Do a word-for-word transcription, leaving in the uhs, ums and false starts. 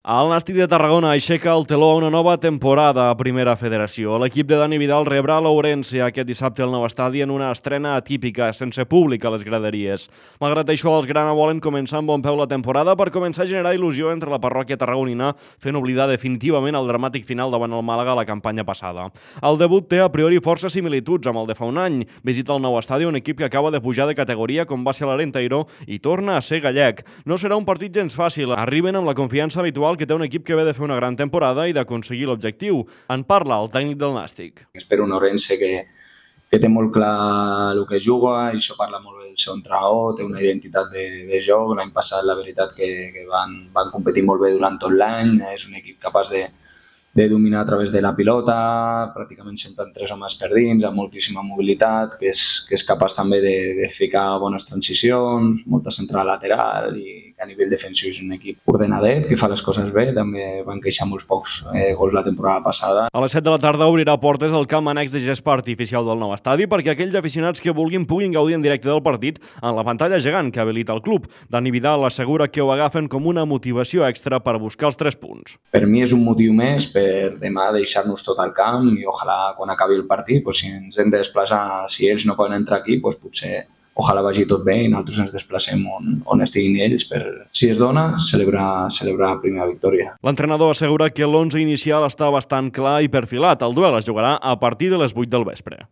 El Nàstic de Tarragona aixeca el teló a una nova temporada a Primera Federació. L'equip de Dani Vidal rebrà l'Ourense aquest dissabte al nou estadi en una estrena atípica, sense públic a les graderies. Malgrat això, els grana volen començar amb bon peu la temporada per començar a generar il·lusió entre la parròquia tarragonina, fent oblidar definitivament el dramàtic final davant el Màlaga la campanya passada. El debut té a priori força similituds amb el de fa un any. Visita el nou estadi un equip que acaba de pujar de categoria com va ser l'Arenteiro i torna a ser gallec. No serà un partit gens fàcil. Arriben amb la confiança habitual que té un equip que ve de fer una gran temporada i d'aconseguir l'objectiu. En parla el tècnic del Nàstic. Espero un Ourense que, que té molt clar el que juga, i això parla molt bé del seu entrenador, té una identitat de, de joc. L'any passat la veritat que, que van, van competir molt bé durant tot l'any, és un equip capaç de, de dominar a través de la pilota, pràcticament sempre amb tres homes per dins, amb moltíssima mobilitat, que és, que és capaç també de, de ficar bones transicions, molta central lateral, i que a nivell defensiu és un equip ordenadet, que fa les coses bé. També van queixar molts pocs eh, gols la temporada passada. A les set de la tarda obrirà portes el camp annex de gespa artificial del nou estadi perquè aquells aficionats que vulguin puguin gaudir en directe del partit en la pantalla gegant que habilita el club. Dani Vidal assegura que ho agafen com una motivació extra per buscar els tres punts. Per mi és un motiu més per demà deixar-nos tot al camp i ojalà quan acabi el partit, doncs, si ens hem de desplaçar, si ells no poden entrar aquí, doncs potser ojalà vagi tot bé i nosaltres ens desplacem on, on estiguin ells per, si es dona, celebrar, celebrar la primera victòria. L'entrenador assegura que l'onze inicial està bastant clar i perfilat. El duel es jugarà a partir de les vuit del vespre.